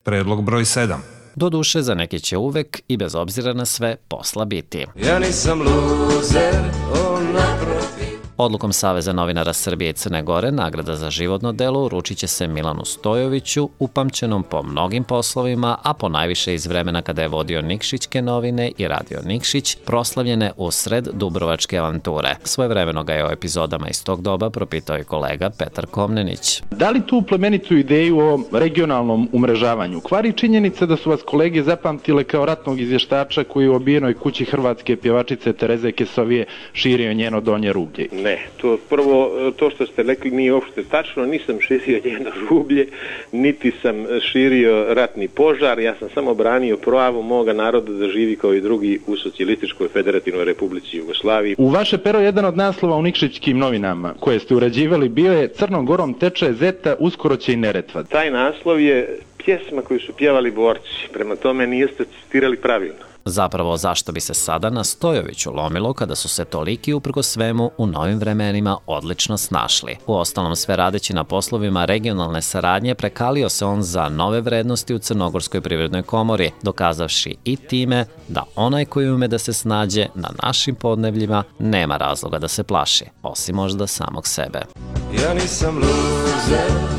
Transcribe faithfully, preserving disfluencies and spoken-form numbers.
Predlog broj sedam. Doduše, za neke će uvek i bez obzira na sve posla biti. Ja nisam luzer, on naprotiv. Odlukom Saveza novinara Srbije i Crne Gore nagrada za životno delo uručit će se Milanu Stojoviću, upamćenom po mnogim poslovima, a po najviše iz vremena kada je vodio Nikšićke novine i radio Nikšić, proslavljene usred Dubrovačke avanture. Svojevremeno ga je o epizodama iz tog doba propitao i kolega Petar Komnenić. Da li tu plemenitu ideju o regionalnom umrežavanju kvari činjenica da su vas kolege zapamtile kao ratnog izvještača koji u obijenoj kući hrvatske pjevačice Tereze Kesovije širio njeno donje rublje? Ne, to prvo, to što ste rekli nije uopšte tačno, nisam širio njeno rublje, niti sam širio ratni požar, ja sam samo branio pravo moga naroda da živi kao i drugi u Socijalističkoj federativnoj Republici Jugoslaviji. U vaše pero jedan od naslova u Nikšićkim novinama koje ste urađivali bio je Crnom Gorom teče Zeta, uskoro će i Neretva. Taj naslov je pjesma koju su pjevali borci, prema tome niste citirali pravilno. Zapravo, zašto bi se sada na Stojoviću lomilo kada su se toliki uprkos svemu u novim vremenima odlično snašli? Uostalom, sve radeći na poslovima regionalne saradnje, prekalio se on za nove vrednosti u Crnogorskoj privrednoj komori, dokazavši i time da onaj koji ume da se snađe na našim podnebljima nema razloga da se plaši, osim možda samog sebe. Ja nisam luzer.